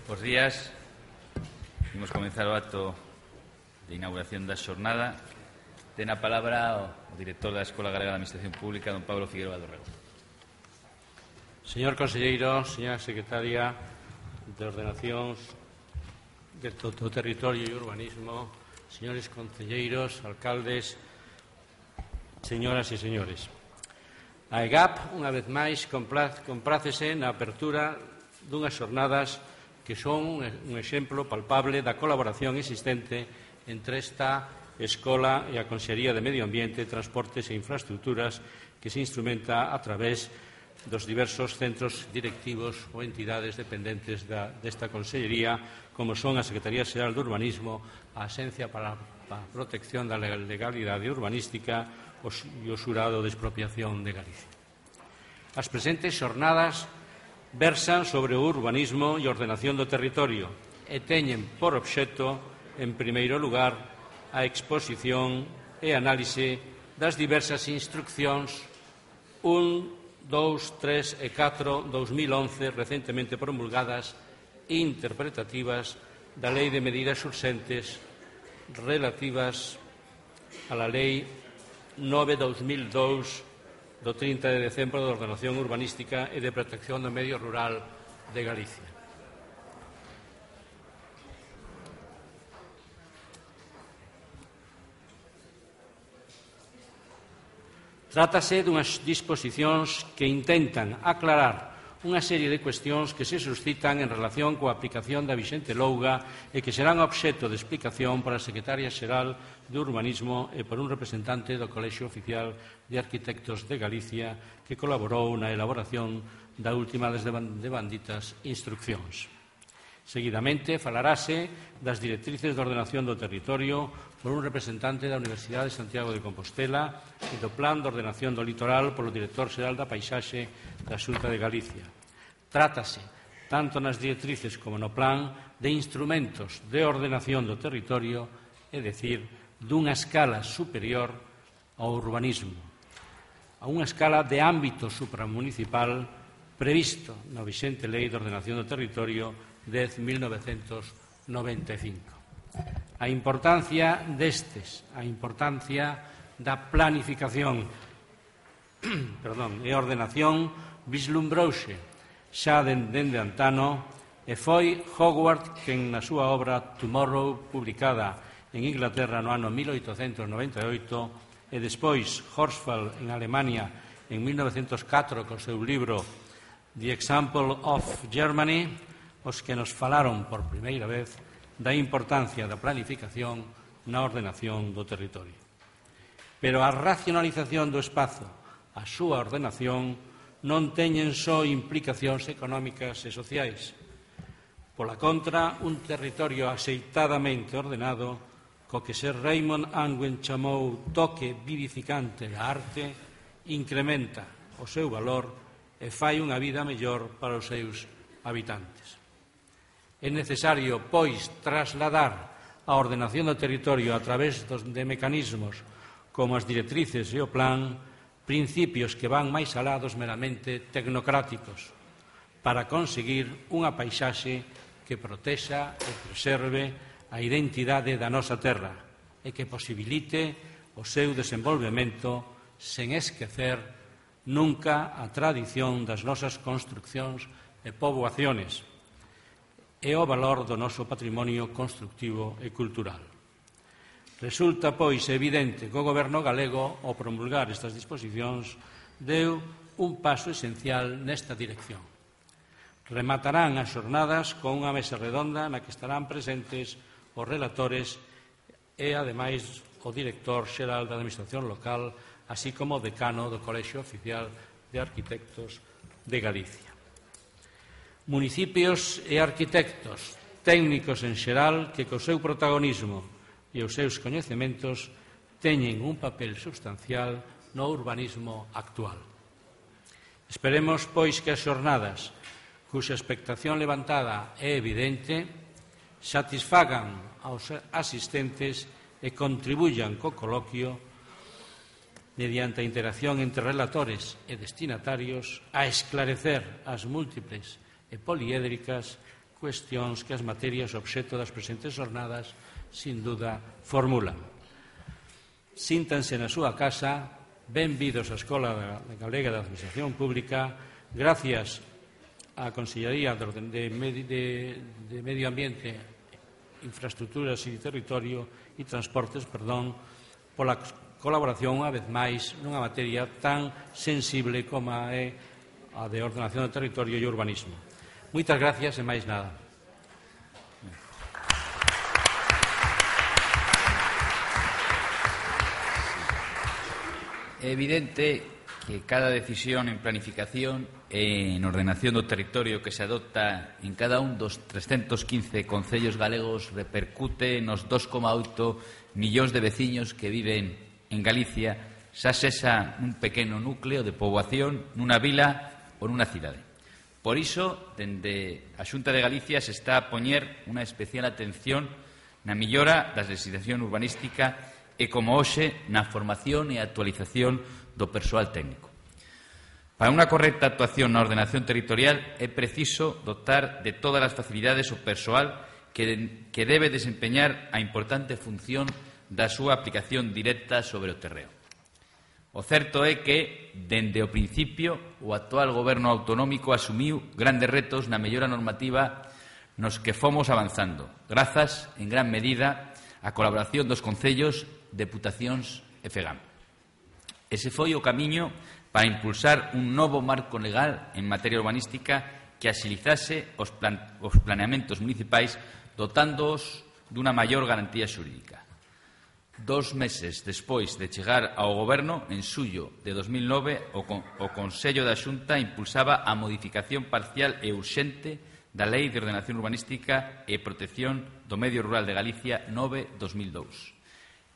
Bos días. Imos comenzar o acto de inauguración da xornada. Ten a palabra o director da Escola Galega de Administración Pública, don Pablo Figueroa do Rego. Señor conselleiro, señora secretaria de Ordenacións do Territorio e Urbanismo, señores concelleiros, alcaldes, señoras e señores. A EGAP, unha vez máis, comprácese na apertura dunhas xornadas que son un exemplo palpable da colaboración existente entre esta Escola e a Consellería de Medio Ambiente, Transportes e Infraestructuras que se instrumenta a través dos diversos centros directivos ou entidades dependentes desta Consellería, como son a Secretaría Xeral de Urbanismo, a Axencia para a Protección da Legalidade Urbanística e o Xurado de Expropiación de Galicia. As presentes xornadas versan sobre o urbanismo e ordenación do territorio e teñen por obxecto, en primeiro lugar, a exposición e análise das diversas instruccións 1, 2, 3 e 4 2011 recentemente promulgadas e interpretativas da Lei de Medidas Urxentes relativas a la Lei 9/2002 do 30 de decembro de Ordenación Urbanística e de Protección do Medio Rural de Galicia. Trátase dunhas disposicións que intentan aclarar unha serie de cuestións que se suscitan en relación coa aplicación da vixente louga e que serán obxecto de explicación para a Secretaria Xeral de Urbanismo e por un representante do Colexio Oficial de Arquitectos de Galicia que colaborou na elaboración da última das devanditas instruccións. Seguidamente, falarase das directrices de ordenación do territorio por un representante da Universidade de Santiago de Compostela e do Plan de Ordenación do Litoral polo Director Xeral da Paisaxe da Xunta de Galicia. Trátase, tanto nas directrices como no plan, de instrumentos de ordenación do territorio, é dicir, dunha escala superior ao urbanismo, a unha escala de ámbito supramunicipal previsto na vixente Lei de Ordenación do Territorio 10.1995. A importancia destes, a importancia da planificación e ordenación vislumbrouse xa dende antano e foi Howard quen na súa obra Tomorrow, publicada en Inglaterra no ano 1898 e despois Horsfall en Alemania en 1904 co seu libro The Example of Germany, os que nos falaron por primeira vez da importancia da planificación na ordenación do territorio. Pero a racionalización do espazo, a súa ordenación, non teñen só implicacións económicas e sociais. Pola contra, un territorio axeitadamente ordenado, co que Sir Raymond Unwin chamou toque vivificante da arte, incrementa o seu valor e fai unha vida mellor para os seus habitantes. É necesario, pois, trasladar a ordenación do territorio a través de mecanismos como as directrices e o plan, principios que van máis alá dos meramente tecnocráticos, para conseguir unha paisaxe que protexa e preserve a identidade da nosa terra e que posibilite o seu desenvolvemento sen esquecer nunca a tradición das nosas construccións e poboaciones e o valor do noso patrimonio constructivo e cultural. Resulta, pois, evidente que o Goberno galego, ao promulgar estas disposicións, deu un paso esencial nesta dirección. Rematarán as xornadas con unha mesa redonda na que estarán presentes os relatores e, ademais, o director xeral da Administración local, así como o decano do Colexio Oficial de Arquitectos de Galicia. Municipios e arquitectos, técnicos en xeral que co seu protagonismo e os seus coñecementos teñen un papel substancial no urbanismo actual. Esperemos, pois, que as xornadas, cuxa expectación levantada é evidente, satisfagan aos asistentes e contribuyan co coloquio mediante a interacción entre relatores e destinatarios a esclarecer as múltiples e poliédricas cuestións que as materias obxecto das presentes jornadas sin duda formulan. Síntanse na súa casa, benvidos á Escola Galega de Administración Pública, gracias á Consellería de Medio Ambiente, Infraestructuras e Territorio e Transportes, pola colaboración, unha vez máis, nunha materia tan sensible como é a de ordenación do territorio e urbanismo. Moitas gracias e máis nada. É evidente que cada decisión en planificación e en ordenación do territorio que se adopta en cada un dos 315 concellos galegos repercute nos 2,8 millóns de veciños que viven en Galicia, xa sexa nun pequeno núcleo de poboación, nunha vila ou nunha cidade. Por iso, dende a Xunta de Galicia se está a poñer unha especial atención na millora da legislación urbanística e, como hoxe, na formación e actualización do persoal técnico. Para unha correcta actuación na ordenación territorial é preciso dotar de todas as facilidades o persoal que debe desempeñar a importante función da súa aplicación directa sobre o terreo. O certo é que, dende o principio, o actual goberno autonómico asumiu grandes retos na mellora normativa nos que fomos avanzando, grazas, en gran medida, á colaboración dos concellos, deputacións e FEGAM. Ese foi o camiño para impulsar un novo marco legal en materia urbanística que axilizase os planeamentos municipais dotándoos dunha maior garantía xurídica. 2 meses despois de chegar ao Goberno, en xullo de 2009, o Consello da Xunta impulsaba a modificación parcial e urxente da Lei de Ordenación Urbanística e Protección do Medio Rural de Galicia 9/2002,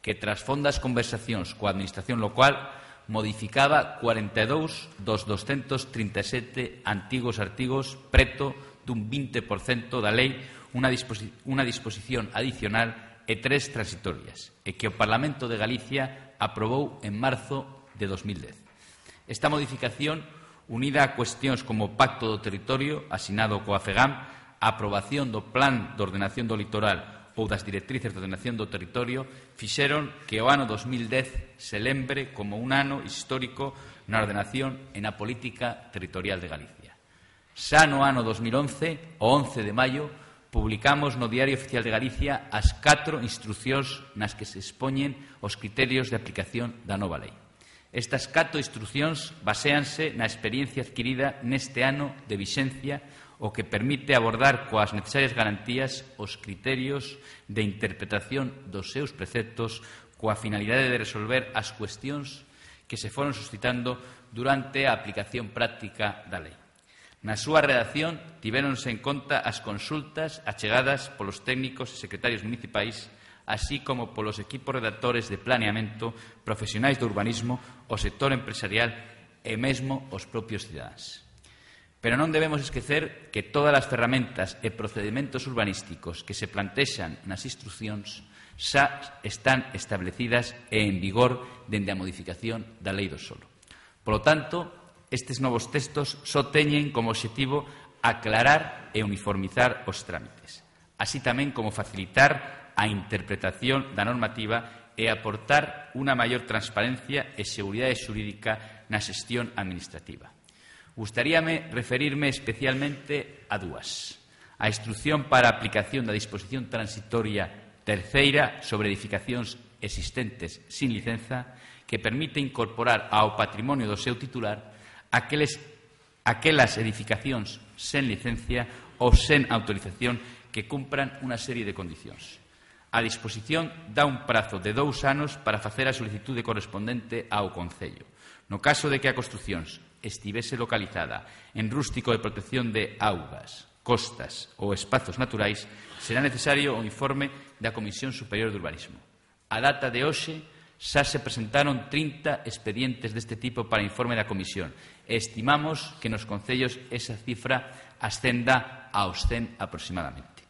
que tras fondas conversacións coa Administración local modificaba 42 dos 237 antigos artigos, preto dun 20% da lei, unha disposición adicional e 3 transitorias, e que o Parlamento de Galicia aprobou en marzo de 2010. Esta modificación, unida a cuestións como o Pacto do Territorio, asinado coa FEGAM, a aprobación do Plan de Ordenación do Litoral ou das Directrices de Ordenación do Territorio, fixeron que o ano 2010 se lembre como un ano histórico na ordenación e na política territorial de Galicia. Xa no ano 2011, o 11 de maio, publicamos no Diario Oficial de Galicia as 4 instruccións nas que se expoñen os criterios de aplicación da nova lei. Estas 4 instruccións baséanse na experiencia adquirida neste ano de vixencia, o que permite abordar coas necesarias garantías os criterios de interpretación dos seus preceptos coa finalidade de resolver as cuestións que se foron suscitando durante a aplicación práctica da lei. Na súa redacción tivéronse en conta as consultas achegadas polos técnicos e secretarios municipais, así como polos equipos redactores de planeamento, profesionais do urbanismo, o sector empresarial e mesmo os propios cidadáns. Pero non debemos esquecer que todas as ferramentas e procedementos urbanísticos que se plantexan nas instruccións xa están establecidas e en vigor dende a modificación da Lei do Solo. Polo tanto, estes novos textos só teñen como obxectivo aclarar e uniformizar os trámites, así tamén como facilitar a interpretación da normativa e aportar unha maior transparencia e seguridade xurídica na xestión administrativa. Gustaríame referirme especialmente a dúas. A instrucción para a aplicación da disposición transitoria terceira sobre edificacións existentes sin licenza, que permite incorporar ao patrimonio do seu titular aquelas edificacións sen licencia ou sen autorización que cumpran unha serie de condicións. A disposición dá un prazo de 2 anos para facer a solicitude correspondente ao Concello. No caso de que a construción estivese localizada en rústico de protección de augas, costas ou espazos naturais, será necesario o informe da Comisión Superior de Urbanismo. A data de hoxe, xa se presentaron 30 expedientes deste tipo para informe da Comisión e estimamos que nos concellos esa cifra ascenda aos 100 aproximadamente.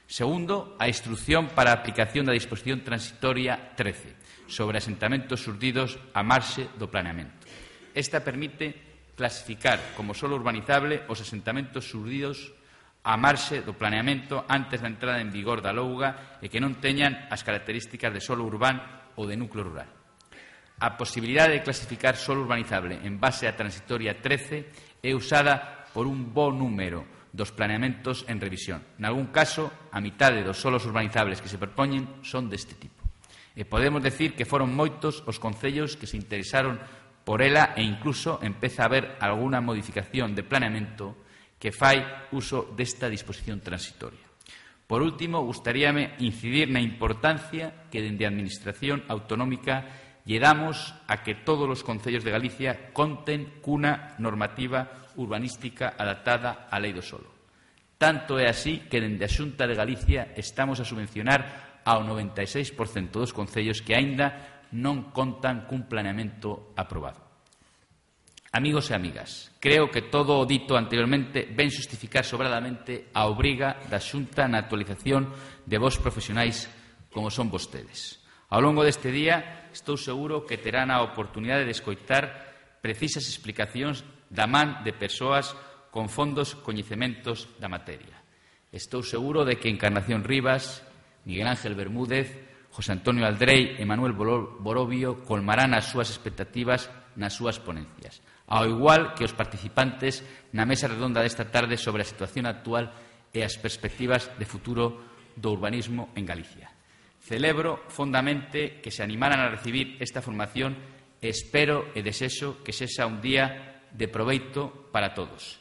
Segundo, a instrucción para a aplicación da disposición transitoria 13 sobre asentamentos xurdidos a marxe do planeamento. Esta permite clasificar como solo urbanizable os asentamentos xurdidos a marxe do planeamento antes da entrada en vigor da LOUGA e que non teñan as características de solo urbano ou de núcleo rural. A posibilidade de clasificar solo urbanizable en base á transitoria 13 é usada por un bo número dos planeamentos en revisión. Nalgún caso, a mitade dos solos urbanizables que se propoñen son deste tipo. E podemos decir que foron moitos os concellos que se interesaron por ela e incluso empeza a haber algunha modificación de planeamento que fai uso desta disposición transitoria. Por último, gustaríame incidir na importancia que dende a Administración autonómica lle damos a que todos os concellos de Galicia conten cunha normativa urbanística adaptada á Lei do Solo. Tanto é así que dende a Xunta de Galicia estamos a subvencionar ao 96% dos concellos que aínda non contan cun planeamento aprobado. Amigos e amigas, creo que todo o dito anteriormente ven xustificar sobradamente a obriga da Xunta na actualización de vos profesionais como son vostedes. Ao longo deste día estou seguro que terán a oportunidade de escoitar precisas explicacións da man de persoas con fondos coñecementos da materia. Estou seguro de que Encarnación Rivas, Miguel Ángel Bermúdez, José Antonio Aldrei e Manuel Borovio colmarán as súas expectativas nas súas ponencias, ao igual que os participantes na mesa redonda desta tarde sobre a situación actual e as perspectivas de futuro do urbanismo en Galicia. Celebro fondamente que se animaran a recibir esta formación e espero e desexo que sexa un día de proveito para todos.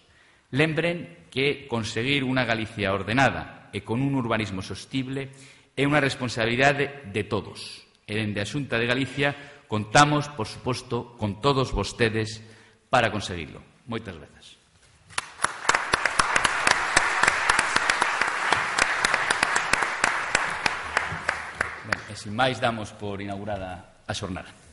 Lembren que conseguir unha Galicia ordenada e con un urbanismo sostible é unha responsabilidade de todos. E dende a Xunta de Galicia contamos, por suposto, con todos vostedes para conseguirlo. Moitas grazas. Ben, e sin máis damos por inaugurada a xornada.